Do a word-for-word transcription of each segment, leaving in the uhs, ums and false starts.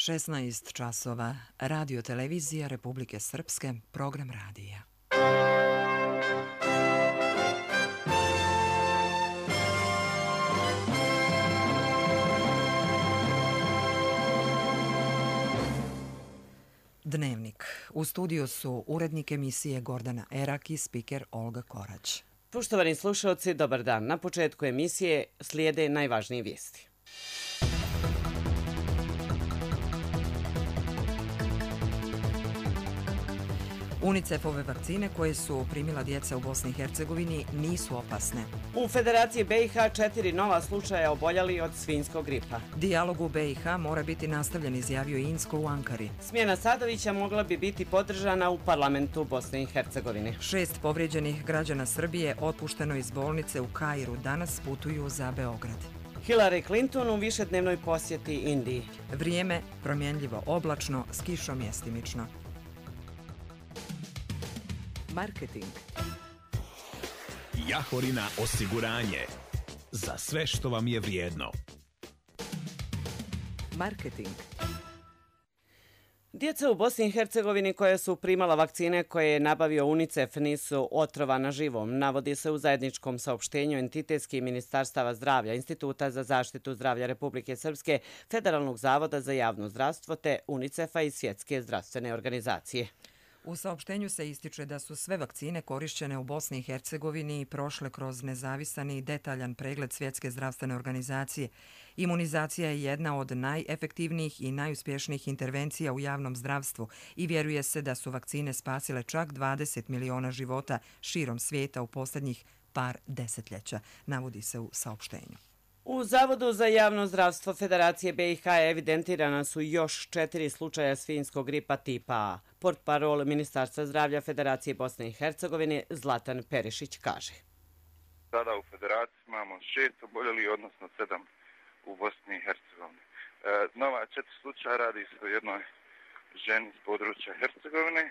šesnaest časova. Radio televizija Republike Srpske, program radija. Dnevnik. U studiju su urednik emisije Gordana Erak i spiker Olga Korać. Poštovani slušalci, dobar dan. Na početku emisije slijede najvažnije vijesti. UNICEF-ove vakcine koje su primila djeca u Bosni i Hercegovini nisu opasne. U Federaciji B i H četiri nova slučaja oboljeli od svinjskog gripa. Dijalog u B i H mora biti nastavljen, izjavio Inzko u Ankari. Smjena Sadovića mogla bi biti podržana u parlamentu Bosne i Hercegovine. Šest povrijeđenih građana Srbije otpušteno iz bolnice u Kairu danas putuju za Beograd. Hillary Clinton u višednevnoj posjeti Indiji. Vrijeme promjenljivo oblačno s kišom mjestimično. Marketing. Jahorina osiguranje. Za sve što vam je vrijedno. Marketing. Djeca u Bosni i Hercegovini koja su primala vakcine koje je nabavio UNICEF nisu otrovana živom, navodi se u zajedničkom saopštenju entitetskih ministarstava zdravlja, Instituta za zaštitu zdravlja Republike Srpske, Federalnog zavoda za javno zdravstvo te UNICEF-a i Svjetske zdravstvene organizacije. U saopštenju se ističe da su sve vakcine korišćene u Bosni i Hercegovini prošle kroz nezavisan i detaljan pregled Svjetske zdravstvene organizacije. Imunizacija je jedna od najefektivnijih i najuspješnijih intervencija u javnom zdravstvu i vjeruje se da su vakcine spasile čak dvadeset miliona života širom svijeta u posljednjih par desetljeća, navodi se u saopštenju. U Zavodu za javno zdravstvo Federacije B i H evidentirana su još četiri slučaja svinjskog gripa tipa A. Portparol Ministarstva zdravlja Federacije Bosne i Hercegovine Zlatan Perišić kaže. Sada u Federaciji imamo šest oboljelih, odnosno sedam u Bosni i Hercegovini. E, nova četiri slučaja radi se o jednoj ženi s područja Hercegovine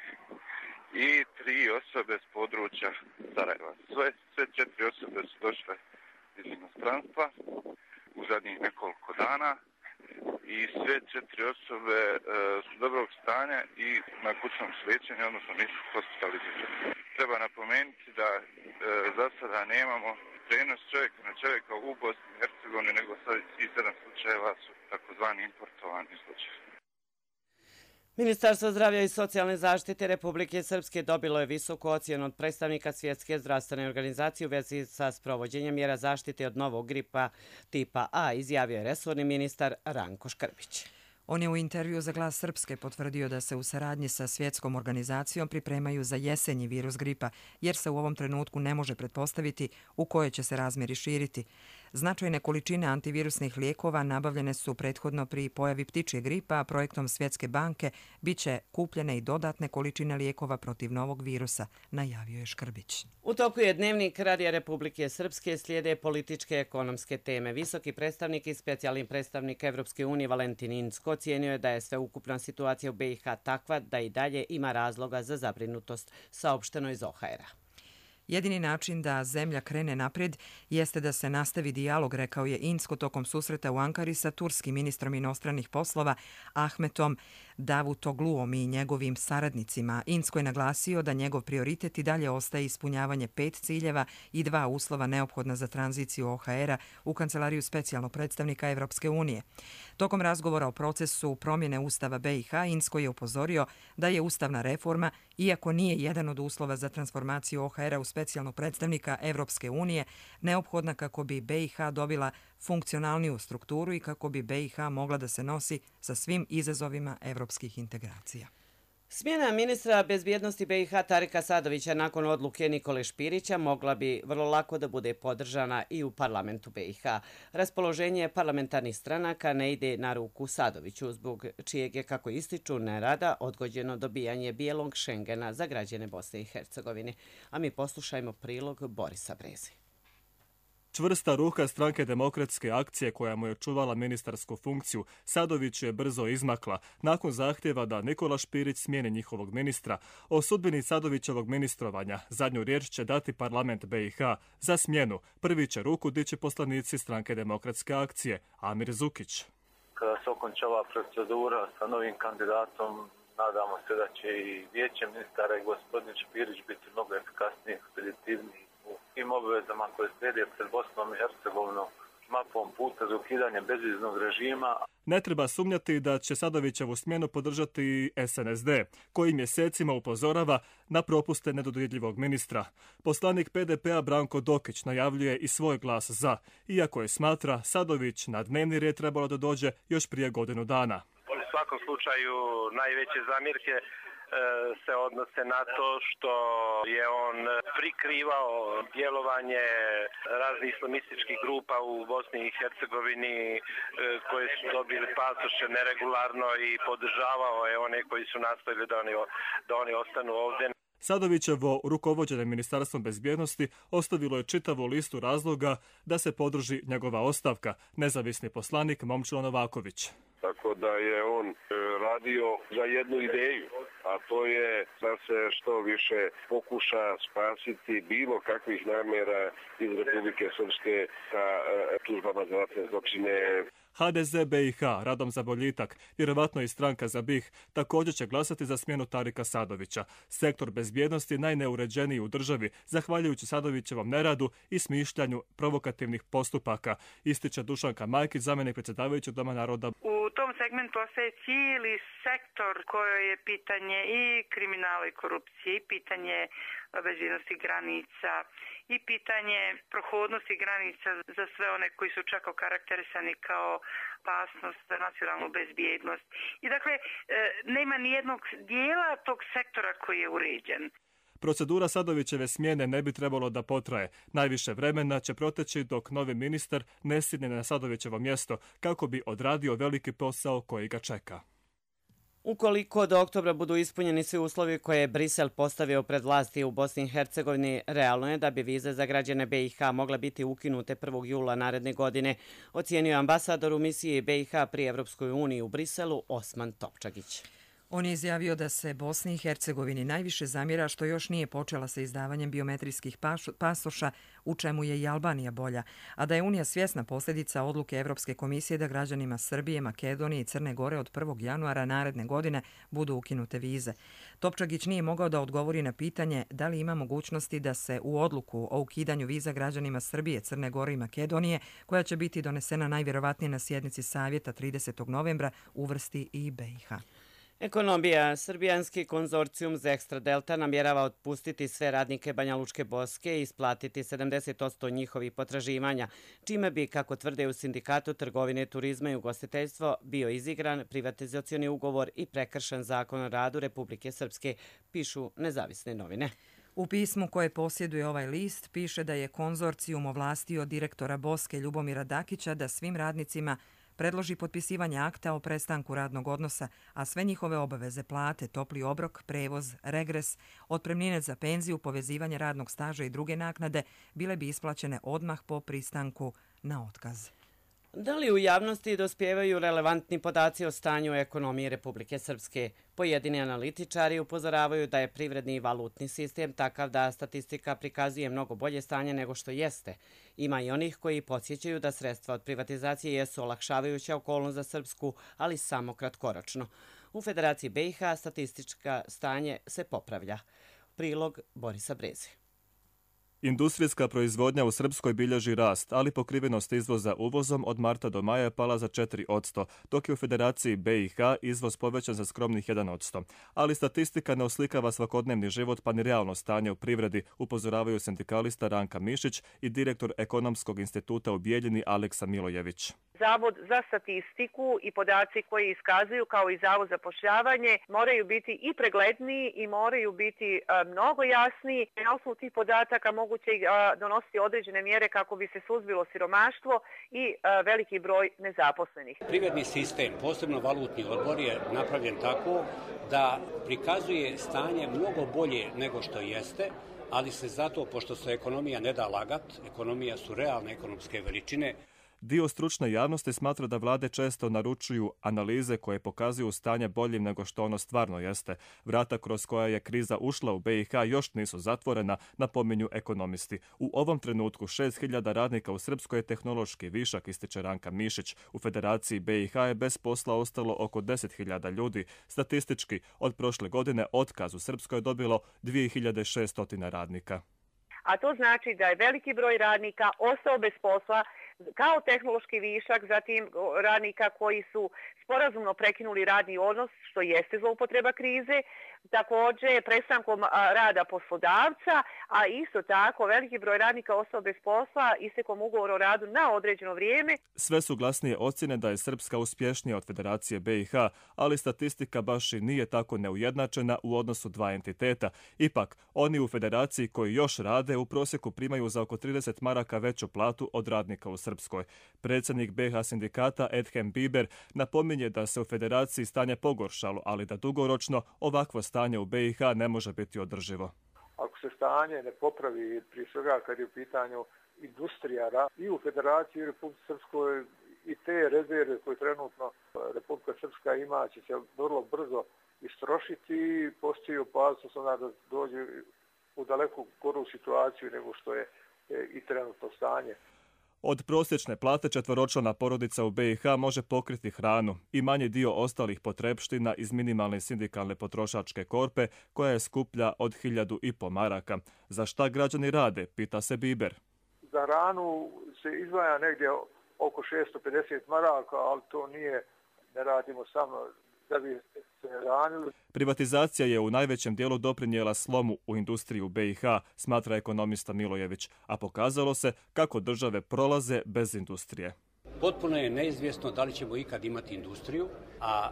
i tri osobe s područja Sarajeva. Sve, sve četiri osobe su došle iz inostranstva u zadnjih nekoliko dana i sve četiri osobe e, su dobrog stanja i na kućnom su liječenju, odnosno nisu hospitalizirani. Treba napomenuti da e, za sada nemamo prenos čovjeka na čovjeka u Bosni i Hercegovini, nego sad svih sedam slučajeva su takozvani importovani slučajevi. Ministarstvo zdravlja i socijalne zaštite Republike Srpske dobilo je visoku ocjenu od predstavnika Svjetske zdravstvene organizacije u vezi sa sprovođenjem mjera zaštite od novog gripa tipa A, izjavio je resorni ministar Ranko Škrbić. On je u intervju za Glas Srpske potvrdio da se u saradnji sa Svjetskom organizacijom pripremaju za jesenji virus gripa, jer se u ovom trenutku ne može pretpostaviti u kojoj će se razmjeri širiti. Značajne količine antivirusnih lijekova nabavljene su prethodno pri pojavi ptičje gripa, a projektom Svjetske banke bit će kupljene i dodatne količine lijekova protiv novog virusa, najavio je Škrbić. U toku je dnevnik Radija Republike Srpske, slijede političke ekonomske teme. Visoki predstavnik i specijalni predstavnik Evropske unije Valentin Inzko ocijenio je da je sveukupna situacija u B i H takva da i dalje ima razloga za zabrinutost, saopšteno iz O H R-a. Jedini način da zemlja krene naprijed jeste da se nastavi dijalog, rekao je Inzko tokom susreta u Ankari sa turskim ministrom inostranih poslova Ahmetom Davutogluom i njegovim saradnicima. Inzko je naglasio da njegov prioritet i dalje ostaje ispunjavanje pet ciljeva i dva uslova neophodna za tranziciju O H R-a u kancelariju specijalnog predstavnika Evropske unije. Tokom razgovora o procesu promjene Ustava B i H, Inzko je upozorio da je ustavna reforma, iako nije jedan od uslova za transformaciju O H R-a u specijalnog predstavnika Evropske unije, neophodna kako bi B i H dobila funkcionalniju strukturu i kako bi B i H mogla da se nosi sa svim izazovima evropskih integracija. Smjena ministra bezbjednosti B i H Tarika Sadovića nakon odluke Nikole Špirića mogla bi vrlo lako da bude podržana i u parlamentu B i H. Raspoloženje parlamentarnih stranaka ne ide na ruku Sadoviću, zbog čijeg je, kako ističu, nerada odgođeno dobijanje bijelog Šengena za građane Bosne i Hercegovine. A mi poslušajmo prilog Borisa Breze. Čvrsta ruka Stranke demokratske akcije koja mu je čuvala ministarsku funkciju, Sadović je brzo izmakla nakon zahtjeva da Nikola Špirić smijeni njihovog ministra. O sudbini Sadovićevog ministrovanja zadnju riječ će dati parlament B i H. Za smjenu prvi će ruku dići poslanici Stranke demokratske akcije, Amir Zukić. kada se okonča ova procedura sa novim kandidatom, nadamo se da će i vijeće ministara i gospodin Špirić biti mnogo efikasniji, ekspeditivniji u tim obvezama koje slijede pred Bosnom i Hercegovinom mapom puta za ukidanje bezviznog režima. Ne treba sumnjati da će Sadovićevu smjenu podržati S N S D, koji mjesecima upozorava na propuste nedodirljivog ministra. Poslanik P D P-a Branko Dokić najavljuje i svoj glas za, iako je smatra Sadović na dnevni red trebalo da dođe još prije godinu dana. U svakom slučaju najveće zamjerke se odnose na to što je on prikrivao djelovanje raznih islamističkih grupa u Bosni i Hercegovini koje su dobili pasoše neregularno i podržavao je one koji su nastojili da oni, da oni ostanu ovdje. Sadovićevo rukovođenje Ministarstvom bezbjednosti ostavilo je čitavu listu razloga da se podrži njegova ostavka, nezavisni poslanik Momčilo Novaković. Tako da je on radio za jednu ideju, a to je da se što više pokuša spasiti bilo kakvih namjera iz Republike Srpske sa tužbama za ratne zločine. H D Z B i H, Radom za boljitak, vjerovatno i stranka za B i H, također će glasati za smjenu Tarika Sadovića. Sektor bezbjednosti je najneuređeniji u državi, zahvaljujući Sadovićevom neradu i smišljanju provokativnih postupaka, ističe Dušanka Majkić, zamjenik predsjedavajućeg Doma naroda. U tom segmentu ostaje cijeli sektor koje je pitanje i kriminala i korupcije, i pitanje bezbjednosti granica, i pitanje prohodnosti granica za sve one koji su čak okarakterisani kao opasnost za nacionalnu bezbjednost. I dakle, nema nijednog dijela tog sektora koji je uređen. Procedura Sadovićeve smjene ne bi trebalo da potraje. Najviše vremena će proteći dok novi ministar ne sjedne na Sadovićevo mjesto kako bi odradio veliki posao koji ga čeka. Ukoliko do oktobra budu ispunjeni svi uslovi koje je Brisel postavio pred vlasti u Bosni i Hercegovini, realno je da bi vize za građane B i H mogla biti ukinute prvog jula naredne godine, ocijenio ambasador u misiji B i H pri Evropskoj uniji u Briselu Osman Topčagić. On je izjavio da se Bosni i Hercegovini najviše zamjera što još nije počela sa izdavanjem biometrijskih pasoša, u čemu je i Albanija bolja, a da je Unija svjesna posljedica odluke Evropske komisije da građanima Srbije, Makedonije i Crne Gore od prvog januara naredne godine budu ukinute vize. Topčagić nije mogao da odgovori na pitanje da li ima mogućnosti da se u odluku o ukidanju viza građanima Srbije, Crne Gore i Makedonije, koja će biti donesena najvjerovatnije na sjednici Savjeta tridesetog novembra, uvrsti i B i H. Ekonomija. Srbijanski konzorcijum za Ekstra Delta namjerava otpustiti sve radnike Banja Lučke Boske i isplatiti sedamdeset posto njihovih potraživanja, čime bi, kako tvrde u Sindikatu trgovine, turizma i ugostiteljstvo, bio izigran privatizacioni ugovor i prekršen zakon o radu Republike Srpske, pišu nezavisne novine. U pismu koje posjeduje ovaj list piše da je konzorcijum ovlastio direktora Boske Ljubomira Dakića da svim radnicima predloži potpisivanje akta o prestanku radnog odnosa, a sve njihove obaveze, plate, topli obrok, prevoz, regres, otpremnine za penziju, povezivanje radnog staža i druge naknade bile bi isplaćene odmah po pristanku na otkaz. Da li u javnosti dospijevaju relevantni podaci o stanju ekonomije Republike Srpske? Pojedini analitičari upozoravaju da je privredni i valutni sistem takav da statistika prikazuje mnogo bolje stanje nego što jeste. Ima i onih koji podsjećaju da sredstva od privatizacije jesu olakšavajuća okolnost za Srpsku, ali samo kratkoročno. U Federaciji B i H statistička stanje se popravlja. Prilog Borisa Breze. Industrijska proizvodnja u Srpskoj bilježi rast, ali pokrivenost izvoza uvozom od marta do maja je pala za četiri posto, dok je u Federaciji B i H izvoz povećan za skromnih jedan posto. Ali statistika ne oslikava svakodnevni život pa ni realno stanje u privredi, upozoravaju sindikalista Ranka Mišić i direktor Ekonomskog instituta u Bijeljini Aleksa Milojević. Zavod za statistiku i podaci koji iskazuju kao i Zavod za zapošljavanje moraju biti i pregledniji i moraju biti a, mnogo jasniji. Na osnovu tih podataka moguće a, donositi određene mjere kako bi se suzbilo siromaštvo i a, veliki broj nezaposlenih. Privredni sistem, posebno valutni odbor, je napravljen tako da prikazuje stanje mnogo bolje nego što jeste, ali se zato, pošto se ekonomija ne da lagat, ekonomija su realne ekonomske veličine. Dio stručne javnosti smatra da vlade često naručuju analize koje pokazuju stanje boljim nego što ono stvarno jeste. Vrata kroz koja je kriza ušla u B i H još nisu zatvorena, napominju ekonomisti. U ovom trenutku šest hiljada radnika u Srpskoj je tehnološki višak, ističe Ranka Mišić. U Federaciji B i H je bez posla ostalo oko deset hiljada ljudi. Statistički, od prošle godine otkaz u Srpskoj je dobilo dvije hiljade šesto radnika. A to znači da je veliki broj radnika ostao bez posla kao tehnološki višak, zatim radnika koji su sporazumno prekinuli radni odnos, što jeste zloupotreba krize, također prestankom rada poslodavca, a isto tako veliki broj radnika ostao bez posla istekom ugovora o radu na određeno vrijeme. Sve su glasnije ocjene da je Srpska uspješnija od Federacije B i H, ali statistika baš i nije tako neujednačena u odnosu dva entiteta. Ipak, oni u Federaciji koji još rade u prosjeku primaju za oko trideset maraka veću platu od radnika u Srpskoj. Predsjednik B i H sindikata Edhem Biber napominje da se u Federaciji stanje pogoršalo, ali da dugoročno ovakvo stanje u B i H ne može biti održivo. Ako se stanje ne popravi, prije svega kad je u pitanju industrija i u Federaciji i u Republike Srpskoj, i te rezerve koje trenutno Republika Srpska ima će se vrlo brzo istrošiti i postoji opasnost da dođe u daleko goru situaciju nego što je i trenutno stanje. Od prosječne plate četvoročlana porodica u B i H može pokriti hranu i manji dio ostalih potrepština iz minimalne sindikalne potrošačke korpe koja je skuplja od hiljadu i po maraka. Za šta građani rade, pita se Biber. Za hranu se izdvaja negdje oko šesto pedeset maraka, ali to nije, ne radimo samo da bi se hranili. Privatizacija je u najvećem dijelu doprinijela slomu u industriju B i H, smatra ekonomista Milojević, a pokazalo se kako države prolaze bez industrije. Potpuno je neizvjesno da li ćemo ikad imati industriju, a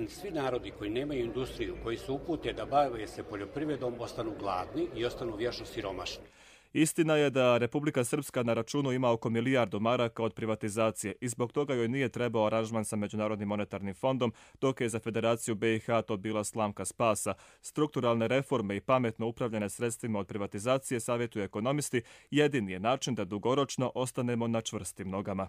svi narodi koji nemaju industriju, koji su upute da bave se poljoprivredom, ostanu gladni i ostanu vječno siromašni. Istina je da Republika Srpska na računu ima oko milijardu maraka od privatizacije i zbog toga joj nije trebao aranžman sa Međunarodnim monetarnim fondom, dok je za Federaciju B i H to bila slamka spasa. Strukturalne reforme i pametno upravljane sredstvima od privatizacije, savjetuju ekonomisti, jedini je način da dugoročno ostanemo na čvrstim nogama.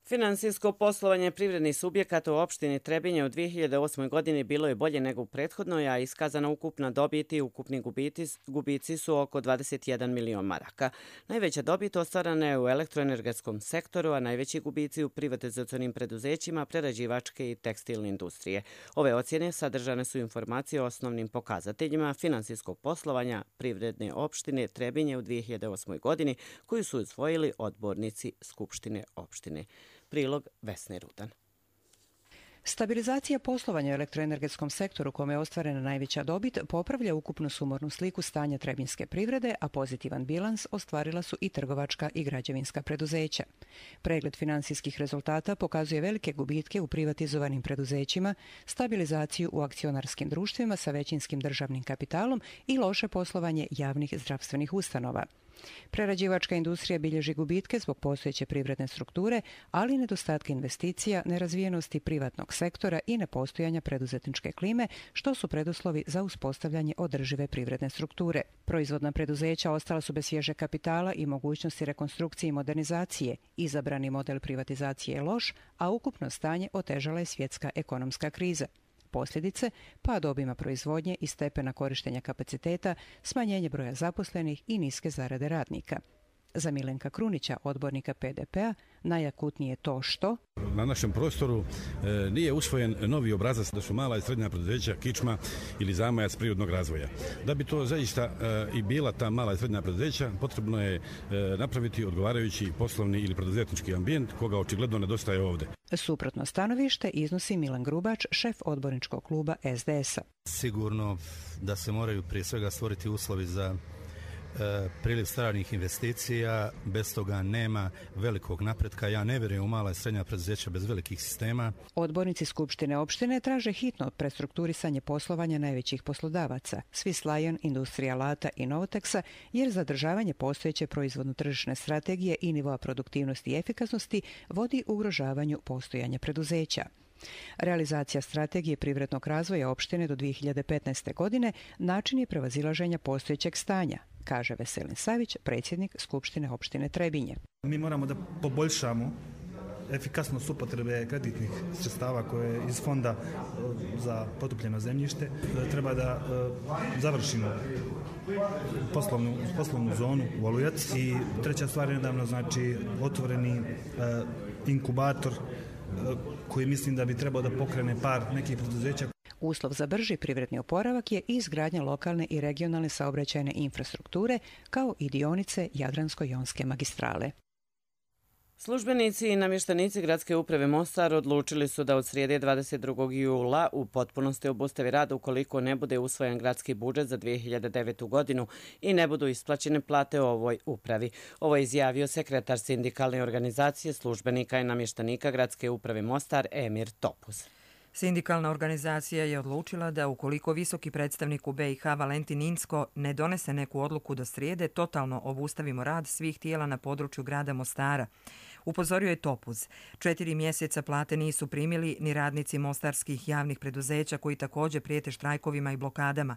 Finansijsko poslovanje privrednih subjekata u opštini Trebinje u dvije hiljade osmoj. godini bilo je bolje nego u prethodnoj, a iskazana ukupna dobit i ukupni gubici, gubici su oko dvadeset jedan milion maraka. Najveća dobit ostvarana je u elektroenergetskom sektoru, a najveći gubici u privatizacionim preduzećima, prerađivačke i tekstilne industrije. Ove ocjene sadržane su informacije o osnovnim pokazateljima finansijskog poslovanja privredne opštine Trebinje u dvije hiljade osmoj. godini, koju su usvojili odbornici Skupštine opštine. Prilog Vesne Rudan. Stabilizacija poslovanja u elektroenergetskom sektoru kome je ostvarena najveća dobit popravlja ukupnu sumornu sliku stanja trebinjske privrede, a pozitivan bilans ostvarila su i trgovačka i građevinska preduzeća. Pregled finansijskih rezultata pokazuje velike gubitke u privatizovanim preduzećima, stabilizaciju u akcionarskim društvima sa većinskim državnim kapitalom i loše poslovanje javnih zdravstvenih ustanova. Prerađivačka industrija bilježi gubitke zbog postojeće privredne strukture, ali i nedostatka investicija, nerazvijenosti privatnog sektora i nepostojanja preduzetničke klime, što su preduslovi za uspostavljanje održive privredne strukture. Proizvodna preduzeća ostala su bez svježe kapitala i mogućnosti rekonstrukcije i modernizacije. Izabrani model privatizacije je loš, a ukupno stanje otežala je svjetska ekonomska kriza. Posljedice, pad obima proizvodnje i stepena korištenja kapaciteta, smanjenje broja zaposlenih i niske zarade radnika. Za Milenka Krunića, odbornika P D P-a, najakutnije to što na našem prostoru e, nije usvojen novi obrazac da su mala i srednja preduzeća kičma ili zamajac prirodnog razvoja. Da bi to zaista e, i bila ta mala i srednja preduzeća, potrebno je e, napraviti odgovarajući poslovni ili preduzetnički ambijent koga očigledno nedostaje ovdje. Suprotno stanovište iznosi Milan Grubač, šef odborničkog kluba S D S-a. Sigurno da se moraju prije svega stvoriti uslovi za priliv stranih investicija, bez toga nema velikog napretka. Ja ne vjerujem u mala i srednja preduzeća bez velikih sistema. Odbornici Skupštine opštine traže hitno prestrukturisanje poslovanja najvećih poslodavaca, Swiss Lion, Industrija Lata i Novoteksa, jer zadržavanje postojeće proizvodno-tržišne strategije i nivoa produktivnosti i efikasnosti vodi ugrožavanju postojanja preduzeća. Realizacija strategije privrednog razvoja opštine do dvije hiljade petnaeste. godine način je prevazilaženja postojećeg stanja, kaže Veselin Savić, predsjednik Skupštine opštine Trebinje. Mi moramo da poboljšamo efikasnost upotrebe kreditnih sredstava koje je iz fonda za potopljeno zemljište. Treba da završimo poslovnu, poslovnu zonu u Olujac i treća stvar je nedavno znači otvoreni inkubator koji mislim da bi trebao da pokrene par nekih preduzeća. Uslov za brži privredni oporavak je izgradnja lokalne i regionalne saobraćajne infrastrukture kao i dionice Jadransko-jonske magistrale. Službenici i namještenici Gradske uprave Mostar odlučili su da od srijede dvadeset drugog jula u potpunosti obustave rad ukoliko ne bude usvojen gradski budžet za dvije hiljade devetu. godinu i ne budu isplaćene plate u ovoj upravi. Ovo je izjavio sekretar sindikalne organizacije službenika i namještenika Gradske uprave Mostar Emir Topuz. Sindikalna organizacija je odlučila da ukoliko visoki predstavnik u B i H Valentin Inzko ne donese neku odluku do srijede, totalno obustavimo rad svih tijela na području grada Mostara. Upozorio je Topuz. Četiri mjeseca plate nisu primili ni radnici mostarskih javnih preduzeća koji također prijete štrajkovima i blokadama.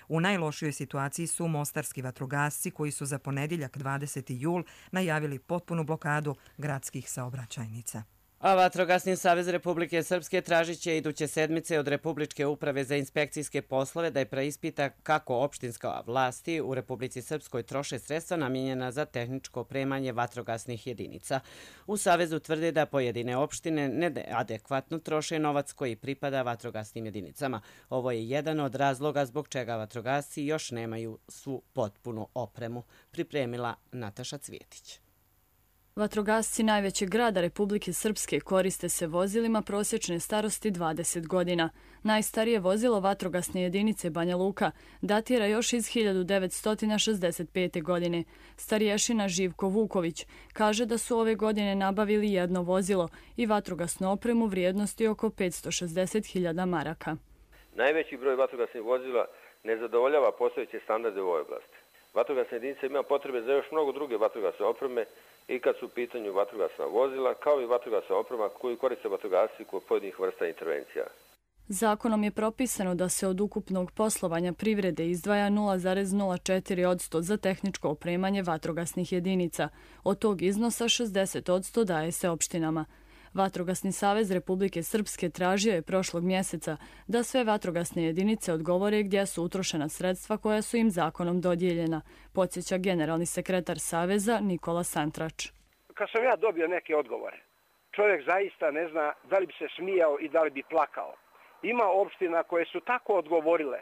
U najlošijoj situaciji su mostarski vatrogasci koji su za ponedjeljak dvadeseti jul najavili potpunu blokadu gradskih saobraćajnica. A Vatrogasni savez Republike Srpske tražit će iduće sedmice od Republičke uprave za inspekcijske poslove da je preispita kako opštinska vlasti u Republici Srpskoj troše sredstva namijenjena za tehničko opremanje vatrogasnih jedinica. U savezu tvrde da pojedine opštine neadekvatno troše novac koji pripada vatrogasnim jedinicama. Ovo je jedan od razloga zbog čega vatrogasci još nemaju svu potpunu opremu, pripremila Nataša Cvjetić. Vatrogasci najvećeg grada Republike Srpske koriste se vozilima prosječne starosti dvadeset godina. Najstarije vozilo vatrogasne jedinice Banja Luka datira još iz hiljadu devetsto šezdeset pete. godine. Starješina Živko Vuković kaže da su ove godine nabavili jedno vozilo i vatrogasnu opremu vrijednosti oko petsto šezdeset hiljada maraka. Najveći broj vatrogasnih vozila ne zadovoljava postojeće standarde u ovoj oblasti. Vatrogasna jedinica ima potrebe za još mnogo druge vatrogasne opreme i kad su u pitanju vatrogasna vozila, kao i vatrogasna oprema koju koriste vatrogasci kod pojedinih vrsta intervencija. Zakonom je propisano da se od ukupnog poslovanja privrede izdvaja nula zarez nula četiri posto za tehničko opremanje vatrogasnih jedinica. Od tog iznosa šezdeset posto daje se opštinama. Vatrogasni savez Republike Srpske tražio je prošlog mjeseca da sve vatrogasne jedinice odgovore gdje su utrošena sredstva koja su im zakonom dodijeljena, podsjeća generalni sekretar Saveza Nikola Santrač. Kad sam ja dobio neke odgovore, čovjek zaista ne zna da li bi se smijao i da li bi plakao. Ima opština koje su tako odgovorile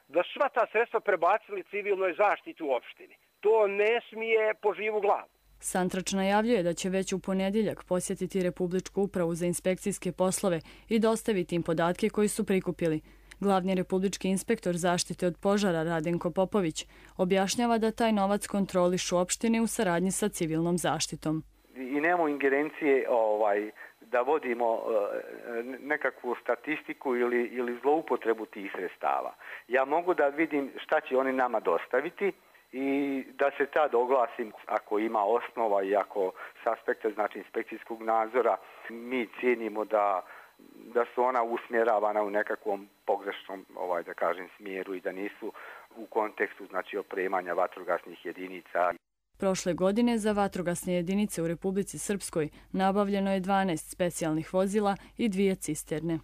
da sva ta sredstva prebacili civilnoj zaštiti u opštini. To ne smije po živu glavu. Santrač najavljuje da će već u ponedjeljak posjetiti Republičku upravu za inspekcijske poslove i dostaviti im podatke koji su prikupili. Glavni republički inspektor zaštite od požara Radenko Popović objašnjava da taj novac kontrolišu opštine u saradnji sa civilnom zaštitom. I nemamo ingerencije ovaj, da vodimo nekakvu statistiku ili, ili zloupotrebu tih sredstava. Ja mogu da vidim šta će oni nama dostaviti i da se tad oglasim ako ima osnova i ako s aspekta znači inspekcijskog nadzora mi cijenimo da, da su ona usmjeravana u nekakvom pogrešnom ovaj, da kažem, smjeru i da nisu u kontekstu znači opremanja vatrogasnih jedinica. Prošle godine za vatrogasne jedinice u Republici Srpskoj nabavljeno je dvanaest specijalnih vozila i dvije cisterne.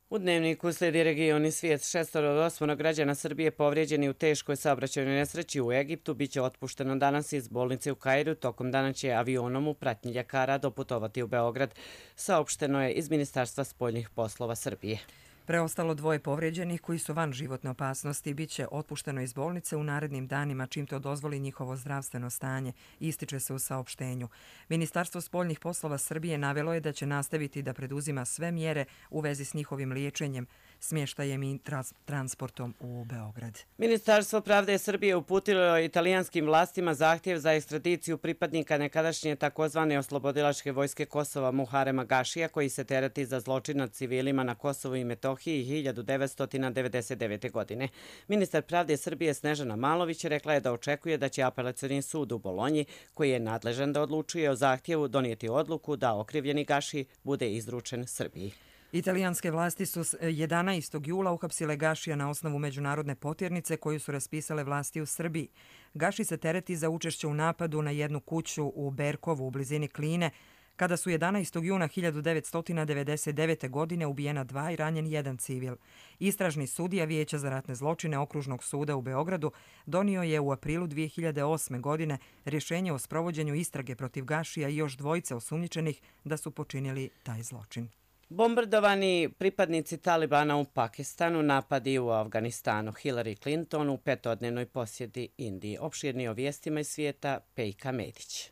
U Dnevniku slijedi regioni svijet. Šestoro od osmoro građana Srbije povrijeđeni u teškoj saobraćajnoj nesreći u Egiptu biće otpušteno danas iz bolnice u Kairu. Tokom dana će avionom u pratnji ljekara doputovati u Beograd, saopšteno je iz Ministarstva spoljnih poslova Srbije. Preostalo dvoje povrijeđenih koji su van životne opasnosti biće otpušteno iz bolnice u narednim danima čim to dozvoli njihovo zdravstveno stanje, ističe se u saopštenju. Ministarstvo spoljnih poslova Srbije navelo je da će nastaviti da preduzima sve mjere u vezi s njihovim liječenjem, smještajem i trans transportom u Beograd. Ministarstvo pravde Srbije uputilo italijanskim vlastima zahtjev za ekstradiciju pripadnika nekadašnje takozvane oslobodilačke vojske Kosova Muharema Gašija koji se tereti za zločin nad civilima na Kosovu i Metohiji hiljadu devetsto devedeset devete. godine. Ministar pravde Srbije Snežana Malović rekla je da očekuje da će apelacioni sud u Bolonji, koji je nadležan da odlučuje o zahtjevu, donijeti odluku da okrivljeni Gaši bude izručen Srbiji. Italijanske vlasti su jedanaestog jula uhapsile Gašija na osnovu međunarodne potjernice koju su raspisale vlasti u Srbiji. Gaši se tereti za učešće u napadu na jednu kuću u Berkovu u blizini Kline, kada su jedanaestog juna hiljadu devetsto devedeset devete. godine ubijena dva i ranjen jedan civil. Istražni sudija Vijeća za ratne zločine Okružnog suda u Beogradu donio je u aprilu dvije hiljade osme. godine rješenje o sprovođenju istrage protiv Gašija i još dvojice osumnjičenih da su počinili taj zločin. Bombardovani pripadnici Talibana u Pakistanu, napadi u Afganistanu, Hillary Clinton u petodnevnoj posjeti Indiji. Opširni o vijestima iz svijeta, Pejka Medić.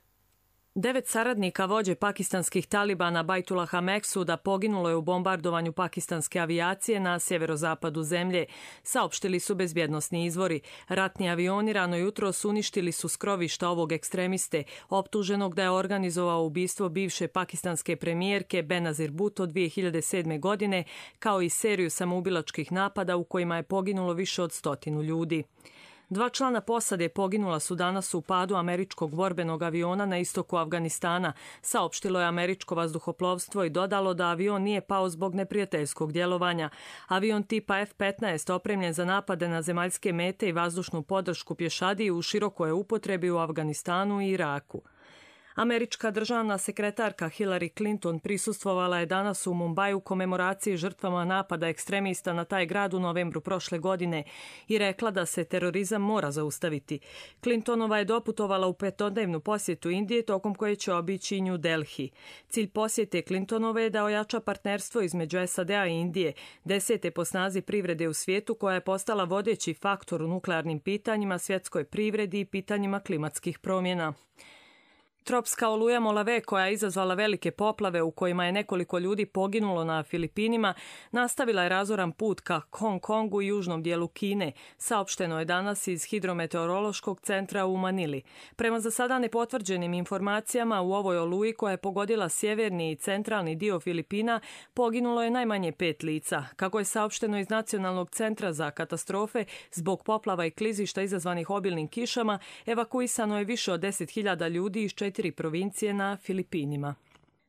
Devet saradnika vođe pakistanskih Talibana Bajtulaha Meksuda poginulo je u bombardovanju pakistanske avijacije na sjeverozapadu zemlje, saopštili su bezbjednosni izvori. Ratni avioni rano jutro uništili su skrovišta ovog ekstremiste, optuženog da je organizovao ubistvo bivše pakistanske premijerke Benazir Bhutto dvije hiljade sedme. godine, kao i seriju samoubilačkih napada u kojima je poginulo više od stotinu ljudi. Dva člana posade poginula su danas u padu američkog borbenog aviona na istoku Afganistana, saopštilo je američko vazduhoplovstvo i dodalo da avion nije pao zbog neprijateljskog djelovanja. Avion tipa F petnaest opremljen za napade na zemaljske mete i vazdušnu podršku pješadiji u širokoj upotrebi u Afganistanu i Iraku. Američka državna sekretarka Hillary Clinton prisustvovala je danas u Mumbaju komemoraciji žrtvama napada ekstremista na taj grad u novembru prošle godine i rekla da se terorizam mora zaustaviti. Clintonova je doputovala u petodnevnu posjetu Indije tokom koje će obići New Delhi. Cilj posjete Clintonove je da ojača partnerstvo između S A D-a i Indije, desete po snazi privrede u svijetu koja je postala vodeći faktor u nuklearnim pitanjima, svjetskoj privredi i pitanjima klimatskih promjena. Tropska oluja Molave, koja je izazvala velike poplave u kojima je nekoliko ljudi poginulo na Filipinima, nastavila je razoran put ka Hong Kongu i južnom dijelu Kine, saopšteno je danas iz Hidrometeorološkog centra u Manili. Prema za sada nepotvrđenim informacijama, u ovoj oluji koja je pogodila sjeverni i centralni dio Filipina, poginulo je najmanje pet lica. Kako je saopšteno iz Nacionalnog centra za katastrofe, zbog poplava i klizišta izazvanih obilnim kišama, evakuisano je više od deset hiljada ljudi iz četiri provincije na Filipinima.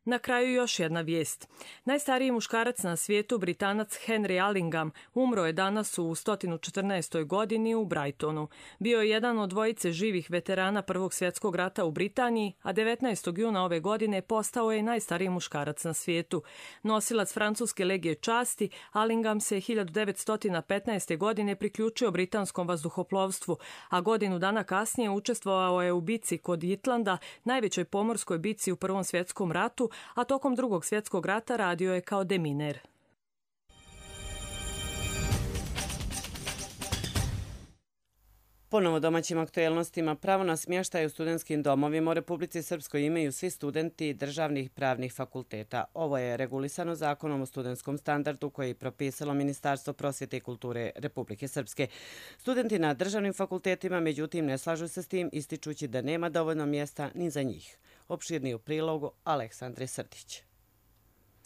Na kraju još jedna vijest. Najstariji muškarac na svijetu, Britanac Henry Allingham, umro je danas u sto četrnaestoj. godini u Brightonu. Bio je jedan od dvojice živih veterana Prvog svjetskog rata u Britaniji, a devetnaestog juna ove godine postao je najstariji muškarac na svijetu. Nosilac francuske legije časti, Allingham se hiljadu devetsto petnaeste. godine priključio britanskom vazduhoplovstvu, a godinu dana kasnije učestvovao je u bici kod Itlanda, najvećoj pomorskoj bici u Prvom svjetskom ratu, a tokom Drugog svjetskog rata radio je kao deminer. Ponovo domaćim aktuelnostima, pravo na smještaj u studentskim domovima u Republici Srpskoj imaju svi studenti državnih pravnih fakulteta. Ovo je regulisano zakonom o studentskom standardu koji je propisalo Ministarstvo prosvjete i kulture Republike Srpske. Studenti na državnim fakultetima, međutim, ne slažu se s tim, ističući da nema dovoljno mjesta ni za njih. Opširni u prilogu Aleksandre Srdić.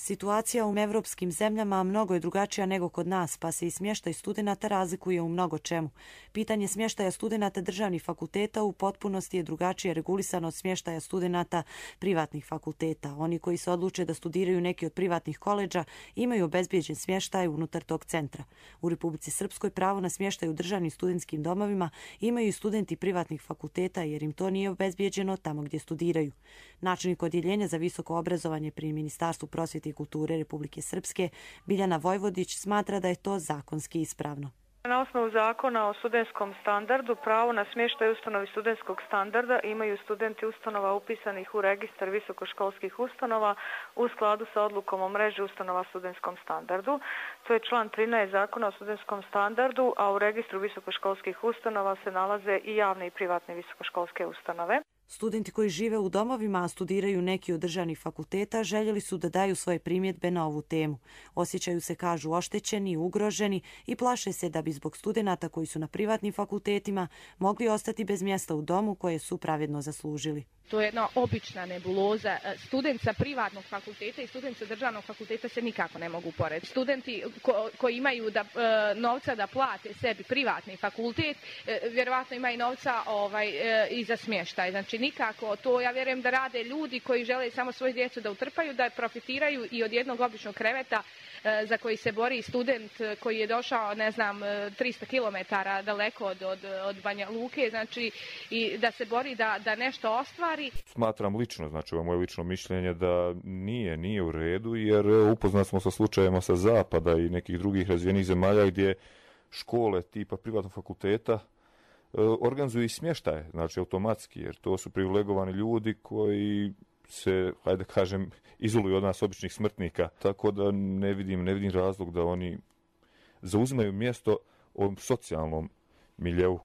Situacija u evropskim zemljama mnogo je drugačija nego kod nas, pa se i smještaj studenata razlikuje u mnogo čemu. Pitanje smještaja studenata državnih fakulteta u potpunosti je drugačije regulisano od smještaja studenata privatnih fakulteta. Oni koji se odluče da studiraju neki od privatnih koledža imaju obezbijeđen smještaj unutar tog centra. U Republici Srpskoj pravo na smještaj u državnim studentskim domovima imaju i studenti privatnih fakulteta jer im to nije obezbijeđeno tamo gdje studiraju. Načelnik odjeljenja za visoko obrazovanje pri Ministarstvu prosvjete i kulture Republike Srpske, Biljana Vojvodić, smatra da je to zakonski ispravno. Na osnovu zakona o studentskom standardu pravo na smještaj ustanovi studentskog standarda imaju studenti ustanova upisanih u registar visokoškolskih ustanova u skladu sa odlukom o mreži ustanova studentskom standardu. To je član trinaest zakona o studentskom standardu, a u registru visokoškolskih ustanova se nalaze i javne i privatne visokoškolske ustanove. Studenti koji žive u domovima, a studiraju neki od državnih fakulteta, željeli su da daju svoje primjedbe na ovu temu. Osjećaju se, kažu, oštećeni i ugroženi i plaše se da bi zbog studenata koji su na privatnim fakultetima mogli ostati bez mjesta u domu koje su pravedno zaslužili. To je jedna obična nebuloza. Student sa privatnog fakulteta i student sa državnog fakulteta se nikako ne mogu porediti. Studenti ko, koji imaju da, e, novca da plate sebi privatni fakultet, e, vjerovatno imaju novca ovaj, e, i za smještaj. Znači nikako. To ja vjerujem da rade ljudi koji žele samo svoju djecu da utrpaju, da profitiraju i od jednog običnog kreveta za koji se bori student koji je došao, ne znam, trista kilometara daleko od, od, od Banja Luke, znači i da se bori da, da nešto ostvari. Smatram lično, znači ovo je moje lično mišljenje da nije, nije u redu, jer upoznat smo sa slučajevima sa zapada i nekih drugih razvijenih zemalja gdje škole tipa privatnog fakulteta organizuju i smještaje, znači automatski, jer to su privilegovani ljudi koji se, hajde kažem, izoluju od nas običnih smrtnika, tako da ne vidim, ne vidim razlog da oni zauzimaju mjesto ovom socijalnom miljeu.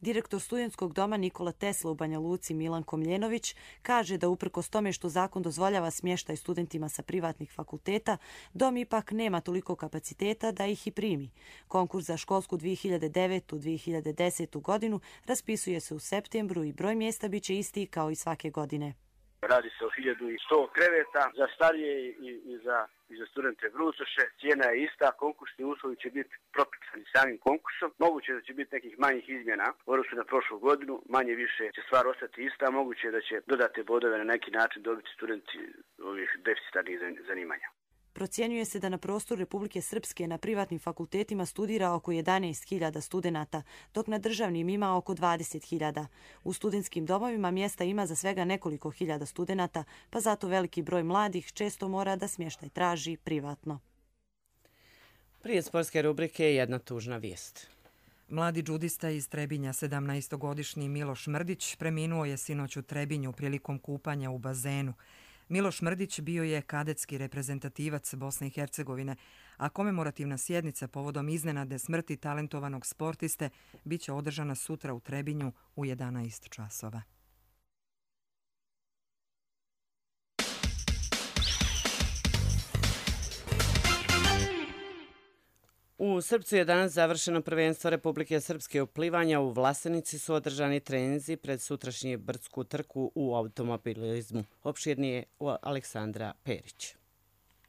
Direktor studentskog doma Nikola Tesla u Banja Luci Milan Komljenović kaže da uprkos tome što zakon dozvoljava smještaj studentima sa privatnih fakulteta, dom ipak nema toliko kapaciteta da ih i primi. Konkurs za školsku dvije hiljade devete dvije hiljade desete godinu raspisuje se u septembru i broj mjesta biće isti kao i svake godine. Radi se o hiljadu sto kreveta za starije i, i, za, i za studente brucoše. Cijena je ista, konkursni uslovi će biti propisani samim konkursom. Moguće da će biti nekih manjih izmjena u odnosu na prošlu godinu, manje više će stvar ostati ista, moguće da će dodate bodove na neki način dobiti studenti ovih deficitarnih zanimanja. Procjenjuje se da na prostoru Republike Srpske na privatnim fakultetima studira oko jedanaest hiljada studenata, dok na državnim ima oko dvadeset hiljada. U studentskim domovima mjesta ima za svega nekoliko hiljada studenata, pa zato veliki broj mladih često mora da smještaj traži privatno. Prije sportske rubrike jedna tužna vijest. Mladi džudista iz Trebinja, sedamnaestogodišnji Miloš Mrdić, preminuo je sinoć u Trebinju prilikom kupanja u bazenu. Miloš Mrdić bio je kadetski reprezentativac Bosne i Hercegovine, a komemorativna sjednica povodom iznenade smrti talentovanog sportiste biće održana sutra u Trebinju u jedanaest časova. U Srpcu je danas završeno prvenstvo Republike Srpske u plivanja. U Vlasenici su održani treninzi pred sutrašnju brdsku trku u automobilizmu. Opširnije Aleksandra Perić.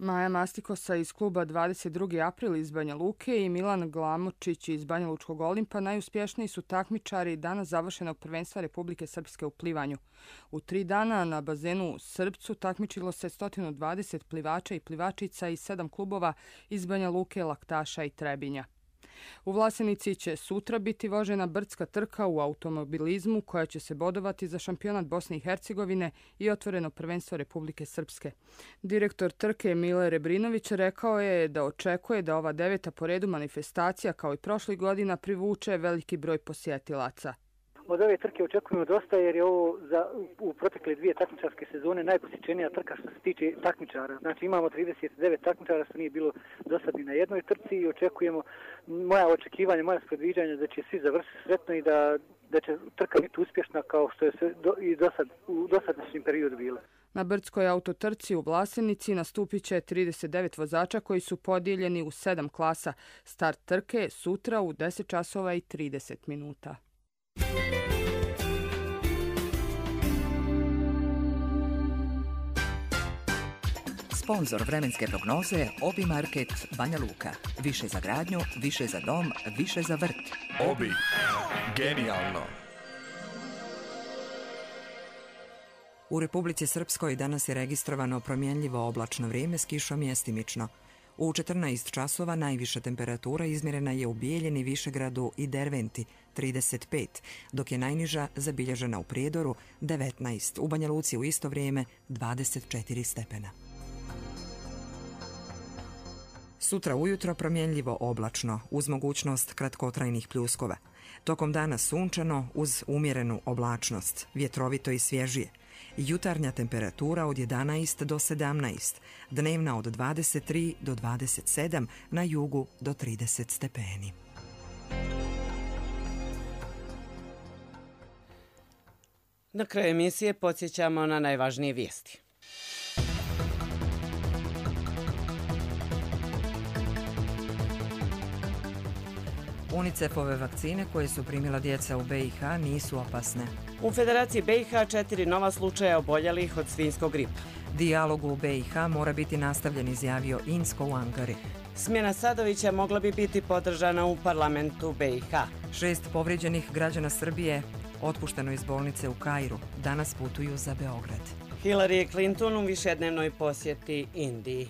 Maja Mastikosa iz kluba dvadeset drugi april iz Banja Luke i Milan Glamočić iz Banja Lučkog Olimpa najuspješniji su takmičari danas završenog prvenstva Republike Srpske u plivanju. U tri dana na bazenu u Srpcu takmičilo se sto dvadeset plivača i plivačica iz sedam klubova iz Banja Luke, Laktaša i Trebinja. U Vlasenici će sutra biti vožena brdska trka u automobilizmu koja će se bodovati za šampionat Bosne i Hercegovine i otvoreno prvenstvo Republike Srpske. Direktor trke Mile Rebrinović rekao je da očekuje da ova deveta po redu manifestacija kao i prošlih godina privuče veliki broj posjetilaca. Od ove trke očekujemo dosta jer je ovo za, u protekle dvije takmičarske sezone najposjećenija trka što se tiče takmičara. Znači imamo trideset devet takmičara što nije bilo do sad ni na jednoj trci i očekujemo, moja očekivanja, moja predviđanja da će svi završiti sretno i da, da će trka biti uspješna kao što je sve do, i do sad, u dosadašnjem periodu bila. Na brdskoj autotrci u Vlasenici nastupit će trideset devet vozača koji su podijeljeni u sedam klasa. Start trke sutra u deset časova i trideset minuta. Sponzor vremenske prognoze Obi Market Banja Luka. Više za gradnju, više za dom, više za vrt. Obi. Genijalno. U Republici Srpskoj danas je registrovano promjenljivo oblačno vrijeme s kišom mjestimično. U četrnaest časova najviša temperatura izmjerena je u Bijeljini, Višegradu i Derventi, trideset pet, dok je najniža zabilježena u Prijedoru, devetnaest, u Banja Luci u isto vrijeme dvadeset četiri stepena. Sutra ujutro promjenljivo oblačno, uz mogućnost kratkotrajnih pljuskova. Tokom dana sunčano uz umjerenu oblačnost, vjetrovito i svježije. Jutarnja temperatura od jedanaest do sedamnaest, dnevna od dvadeset tri do dvadeset sedam, na jugu do trideset stepeni. Na kraju emisije podsjećamo na najvažnije vijesti. UNICEF-ove vakcine koje su primila djeca u be i ha nisu opasne. U Federaciji be i ha četiri nova slučaja oboljelih od svinjskog gripa. Dijalog u be i ha mora biti nastavljen, izjavio Insko u Ankari. Smjena Sadovića mogla bi biti podržana u parlamentu be i ha. Šest povrijeđenih građana Srbije Otpušteno iz bolnice u Kairu, danas putuju za Beograd. Hillary Clinton u višednevnoj posjeti Indiji.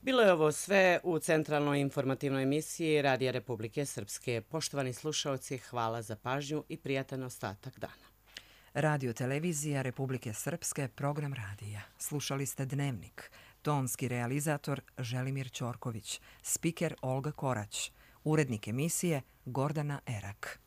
Bilo je ovo sve u centralnoj informativnoj emisiji Radija Republike Srpske. Poštovani slušalci, hvala za pažnju i prijatan ostatak dana. Radio Televizija Republike Srpske, program radija. Slušali ste Dnevnik. Tonski realizator Želimir Ćorković. Spiker Olga Korać. Urednik emisije Gordana Erak.